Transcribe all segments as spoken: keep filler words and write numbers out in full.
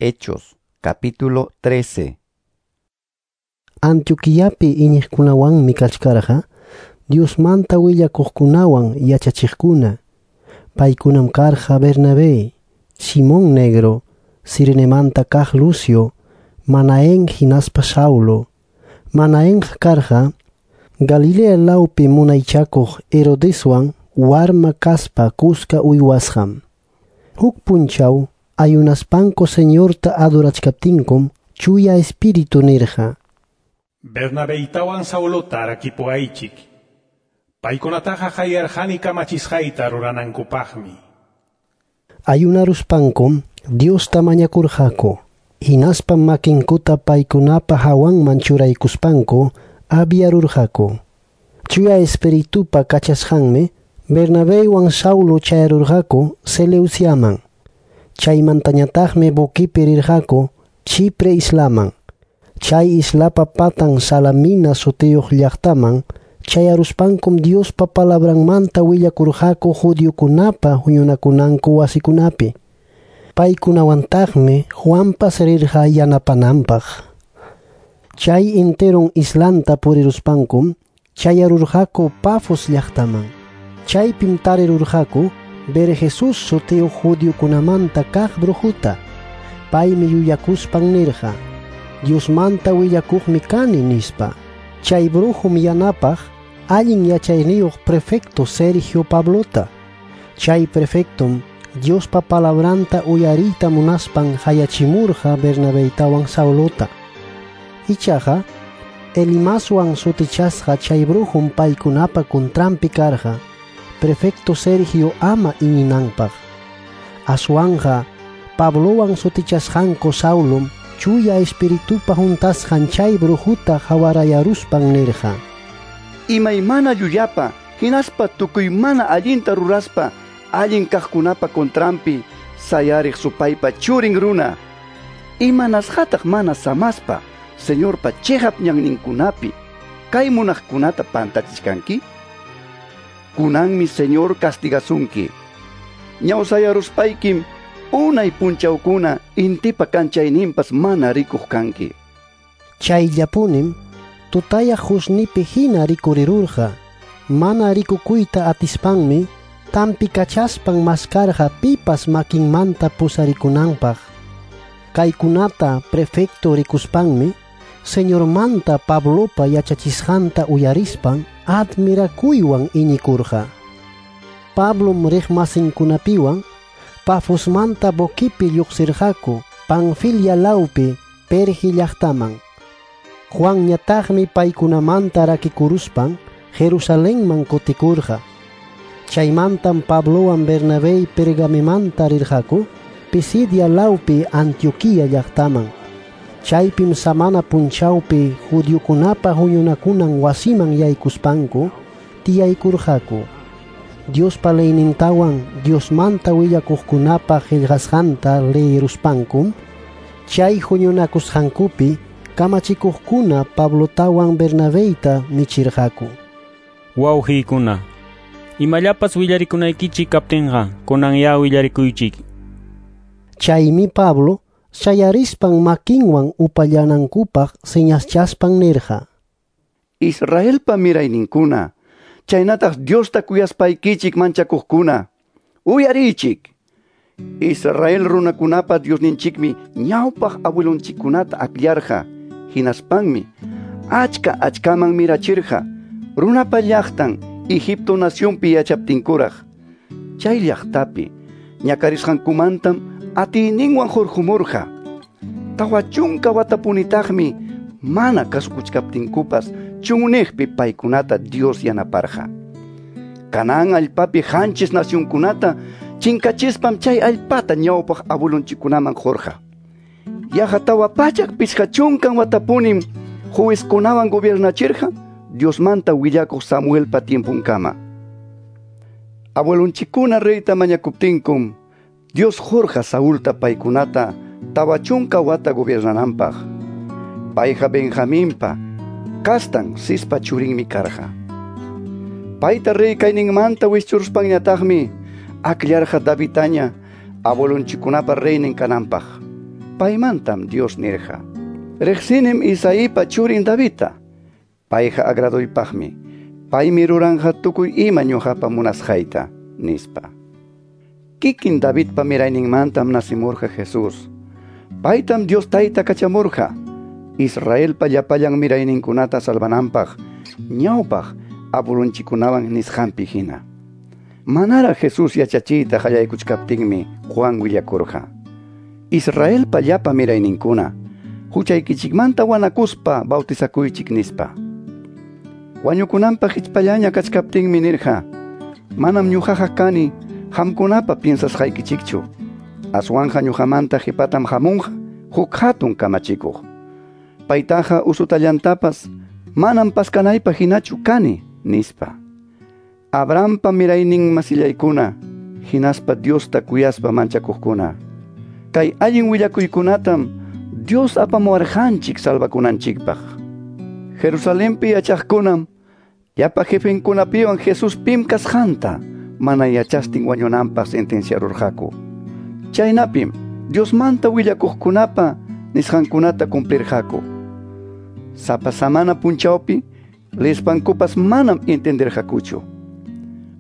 Hechos, capítulo trece. Antioquiapi iñiqkunawanmi kachkarqa Diosmanta willakuqkunawan yachachiqkuna. Paykunam karqa Bernabé, Simón Negro, Cirenemanta kaq Lucio, Manaén hinaspa Saulo. Manaén karqa Galilea lawpi munaychakuq Herodeswan warma kaspa kuska uywasqam. Huk punchaw ayunaspanku Señorta adorachkaptinkum Chuya Espíritu nirqa: Bernabeitawan Saulota rakipuaychik. Paykunataqa qayarqani kamachisqayta ruranankupaqmi. Ayunaruspankum Diosta mañakurqaku. Hinaspam makinkuta paykunapa hawanman churaykuspanku aviarurqaku. Chuya Espiritupa kachasqanmi Bernabéwan Saulo chayarurqaku Seleuciaman. Chaymantañataqmi buquipi rirqaku Chipre islaman. Chay islapa patan Salamina sutiyuq llaqtaman chayaruspankum Diospa palabranmanta willakurqaku judiokunapa huñunakunanku wasikunapi. Paykunawantaqmi Juanpas rirqa yanapananpaq. Chay enteron islanta puriruspankum chayarurqaku Pafos llaqtaman. Chaypim tarirurqaku Bar-Jesús sutiyuq judiokunamanta kaq brujuta. Paymi yuyakuspan nirqa: Diosmanta willakuqmi kani nispa. Chay brujum yanapaq allin yachayniyuq prefecto Sergio Pablota. Chay prefectom Diospa palabranta uyariyta munaspan hayachimurqa Bernabeitawan Saulota. Ichaqa Elimaswan sutichasqa chay brujum paykunapa kuntranpi karqa prefecto Sergio ama iñinanpaq. Aswanja Pablowan sutichasqanku Saulom Chuya Espiritupa huntasqan chay brujuta hawarayaruspan nirqa: Imaymana llullapa, hinaspa tukuymana allinta ruraspa, allin kaqkunapa kontranpi sayariq supaypa churin runa. Imanasqataq mana samaspa, Señorpa chiqap ñanninkunapi, kay munaqkunata pantachichkanki? Kunanmi Señor castigasunki. Ñawsayaruspaykim unay punchawkuna intipa kanchayninpas mana rikuq kanki. Chayllapunim tutayaq husnipi hina rikurirurqa. Mana rikukuyta atispanmi tampikachaspan maskarqa pipas makinmanta pusarikunanpaq. Kaykunata prefecto rikuspanmi Señormanta Pablopa yachachisqanta uyarispan admirakuywan iñikurqa. Pablom riqmasinkunapiwan Pafosmanta buquipi lluqsirqaku Panfilia lawpi Perge llaqtaman. Juanñataqmi paykunamanta rakikuruspan Jerusalenman kutikurqa. Chaymantam Pablowan Bernabé Pergamemanta rirqaku Pisidia lawpi Antioquia llaqtaman. Chaypim samana punchawpi judiokunapa huñunakunan wasiman yaykuspanku tiyaykurqaku. Diospa leynintawan Diosmanta willakuqkunapa qillqasqanta leyiruspankum chay huñunakusqankupi kamachikuqkuna Pablotawan Bernabeyta nichirqaku: Wawqiykuna, imallapas willarikunaykichik kaptinqa kunanyá willarikuychik. Chaymi Pablo sayarispan makinwan upallanankupaq señaschaspan nirqa: Israelpa mirayninkuna, chaynataq Diosta kuyaspaykichik manchakuqkuna, uyariychik. Israel runakunapa Diosninchikmi ñawpaq abuelonchikkunata akllarqa, hinaspanmi achka achkaman mirachirqa runapa llaqtan Egipto nacionpi yachaptinkuraq. Chay llaqtapi ñakarisqankumantam atiyninwan hurqumurqa. Tawa chunka watapunitaqmi mana kasukuchkaptinkupas chunniqpi paykunata Dios yanaparqa. Canaán allpapi qanchis nacionkunata chinkachispam chay allpata ñawpaq abuelonchikkunaman qurqa. Yaqa tawa pachak pichqa chunkan watapunim juezkunawan gobiernachirqa Diosmanta willakuq Samuelpa tiempunkama. Abuelonchikkuna reyta mañakuptinkum Dios qurqa Saulta paykunata tawa chunka wata gobiernananpaq. Payqa Benjaminpa kastan Cispa churinmi karqa. Payta rey kayninmanta wischuruspanñataqmi akllarqa Davidtaña abuelonchikkunapa reynin kananpaq. Paymantam Dios nirqa: Riqsinim Isaipa churin Davidta. Payqa agraduypaqmi. Paymi ruranqa tukuy ima ñuqapa munasqayta, nispa. Kikin Davidpa mirayninmantam nacimurqa Jesús. Paytam Dios Tayta kachamurqa Israelpa llapallan mirayninkunata salvananpaq, ñawpaq abuelonchikkunawan nisqanpi hina. Manara Jesús yachachiyta qallaykuchkaptinmi Juan willakurqa: Israelpa llapa mirayninkuna, huchaykichikmanta wanakuspa bautizakuychik, nispa. Wañukunanpaq hichpallaña kachkaptinmi nirqa: Manam ñuqaqa kani qamkunapa piensasqaykichikchu. Aswanja ñuqamanta qipatam hamunqa huk hatun kamachikuq. Paytaqa usutallantapas manam paskanaypaq hinachu kani, nispa. Abrahampa miraynin masillaykuna, hinaspa Diosta kuyaspa manchakuqkuna, kay allin willakuykunatam Dios apamuwarqanchik salvakunanchikpaq. Jerusalenpi yachaqkunam llapa jefenkunapiwan Jesús pim kasqanta mana yachastin wañunanpaq sentenciarurqaku. Chaynapim Diosmanta willakuqkunapa nisqankunata cumplirqaku. Sapa samana punchawpi leespankupas manam entenderqakuchu.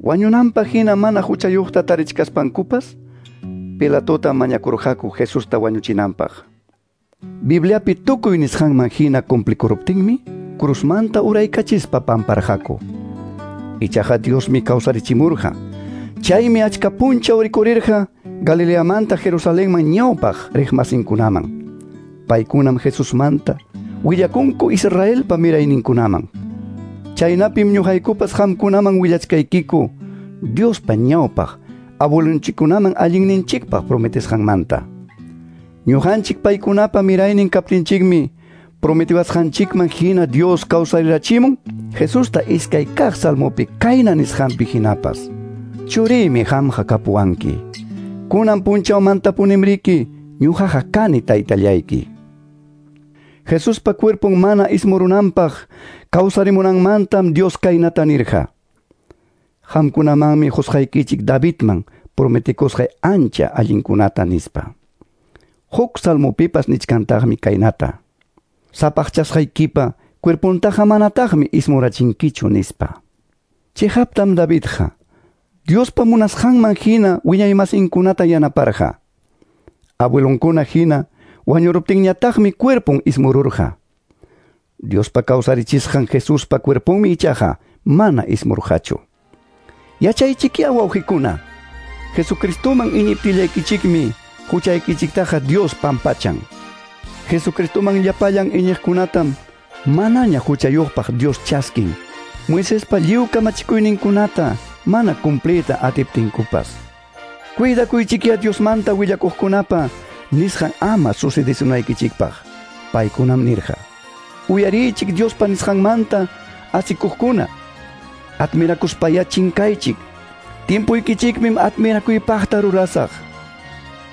Wañunanpaq hina mana huchayuqta tarichkaspankupas Pilatota mañakurqaku Jesusta wañuchinanpaq. Bibliapi tukuy nisqanman hina cumplikuruptinmi cruzmanta uraykachispa pamparqaku. Ichaqa Diosmi kawsarichimurqa. Chaymi achka punchaw rikurirqa Galileamanta Jerusalenman ñawpaq riqmasinkunaman. Paykunam Jesusmanta willakunku Israelpa mirayninkunaman. Chaynapim ñuqaykupas qamkunaman willachkaykiku Diospa ñawpaq abuelonchikkunaman allinninchikpaq prometesqanmanta. Ñuqanchik paykunapa miraynin kaptinchikmi prometiwasqanchikman hina Dios kawsarirachimun Jesusta iskay kaq salmopi kayna nisqanpi hinapas: Churiymi qamqa kapuwanki. Kunan punchawmantapunimriki ñuqaqa kani taytallayki. Jesuspa cuerpon mana ismurunanpaq kawsarimunanmantam Dios kaynata nirqa: Qamkunamanmi qusqaykichik Davidman prometikusqay ancha allinkunata, nispa. Huk salmopipas nichkantaqmi kaynata: Sapaqchasqaykipa cuerpontaqa manataqmi ismurachinkichu, nispa. Chihaptam Davidqa Diospa munasqanman hina wiñaymasinkunata yanaparqa. Abuelonkuna hina wañuruptinñataqmi cuerpon ismururqa. Diospa kawsarichisqan Jesuspa cuerponmi ichaqa mana ismurqachu. Yachaychikya wawqikuna, Jesucristoman iñiptillaykichikmi huchaykichiktaqa Dios pampachan. Jesucristoman llapallan iñiqkunatam manaña huchayuqpaq Dios chaskin, Moisespa lliw kamachikuyninkunata mana cumpliyta atiptinkupas. Cuidakuychikya Diosmanta willakuqkunapa nisqan ama sucedesunaykichikpaq. Paykunam nirqa: Uyariychik Diospa nisqanmanta asikuqkuna, admirakuspaya chinkaychik. Tiempuykichikmi admirakuypaqta rurasaq.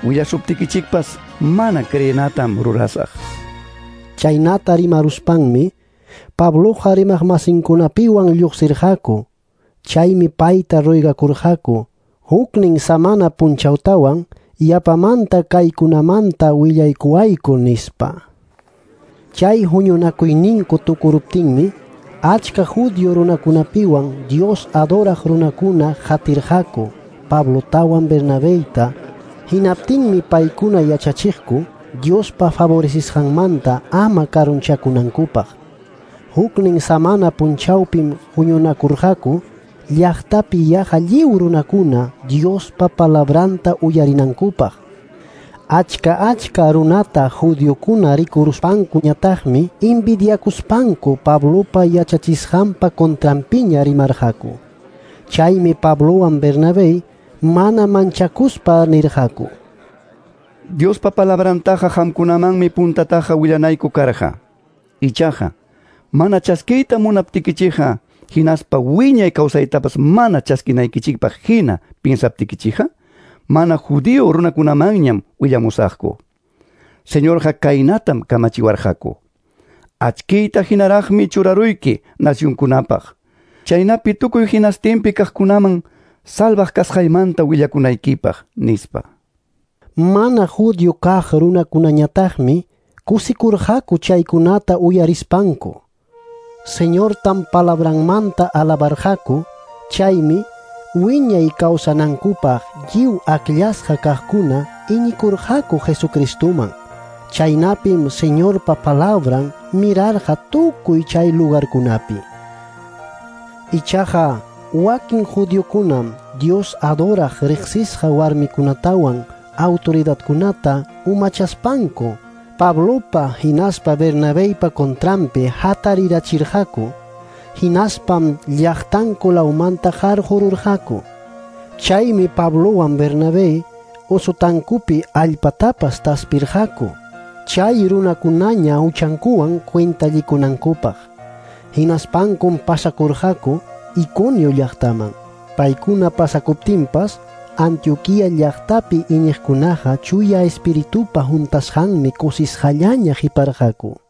Willasuptikichikpas mana creenatam rurasaq. Chaynata rimaruspanmi Pabloqa rimaqmasinkunapiwan lluqsirqaku. Chaymi payta ruegakurqaku huknin samana punchawtawan yapamanta kaykunamanta willaykuwayku, nispa. Chay huñunakuyninku tukuruptinmi achka judío runakunapiwan Dios adoraq runakuna qatirqaku Pablotawan Bernabeyta. Hinaptinmi paykuna yachachiqku Diospa favorecisqanmanta ama karunchakunankupaq. Huknin samana punchawpim huñunakurqaku llaqtapi yaqa lliw runakuna Diospa palabranta uyarinankupaq. Achka achka runata judiokuna rikuruspankuñataqmi envidiakuspanku Pablopa yachachisqanpa contranpiña rimarqaku. Chaymi Pablowan Bernabé mana manchakuspa nirqaku: Diospa palabrantaqa qamkunamanmi puntataqa willanayku karqa. Ichaqa mana chaskiyta munaptikichikqa, hinaspa wiñay kawsaytapas mana chaskinaykichikpaq hina piensaptikichikqa, mana judío runakunamanñam willamusaqku. Señorqa kaynatam kamachiwarqaku: Achkiyta hinaraqmi churaruyki nacionkunapaq. Chaynapi tukuy hinastinpi kaqkunaman salvaq kasqaymanta willakunaykipaq, nispa. Mana judío kaq runakunañataqmi kusikurqaku chaykunata uyarispanku. Señortam palabranmanta alabarqaku, chaymi wiñay kawsanankupaq lliw akllasqa kaqkuna iñikurqaku Jesucristuman. Chaynapim Señorpa palabran mirarqa tukuy chay lugarkunapi. Ichaqa wakin judiokunam Dios adoraq riqsisqa warmikunatawan autoridadkunata umachaspanku Pablopa hinaspa Bernabeypa contranpi hatarirachirqaku, hinaspam llaqtanku lawmanta qarqururqaku. Chaymi Pablowan Bernabé usutankupi allpatapas taspirqaku, chay runakunaña huchankuwan cuentallikunankupaq. Hinaspankum pasakurqaku Iconio llaqtaman. Paykuna pasakuptinpas Antioquía llaqtapi iñiqkunaqa chuya espiritupa huntasqanmi kusisqallaña qiparqaku.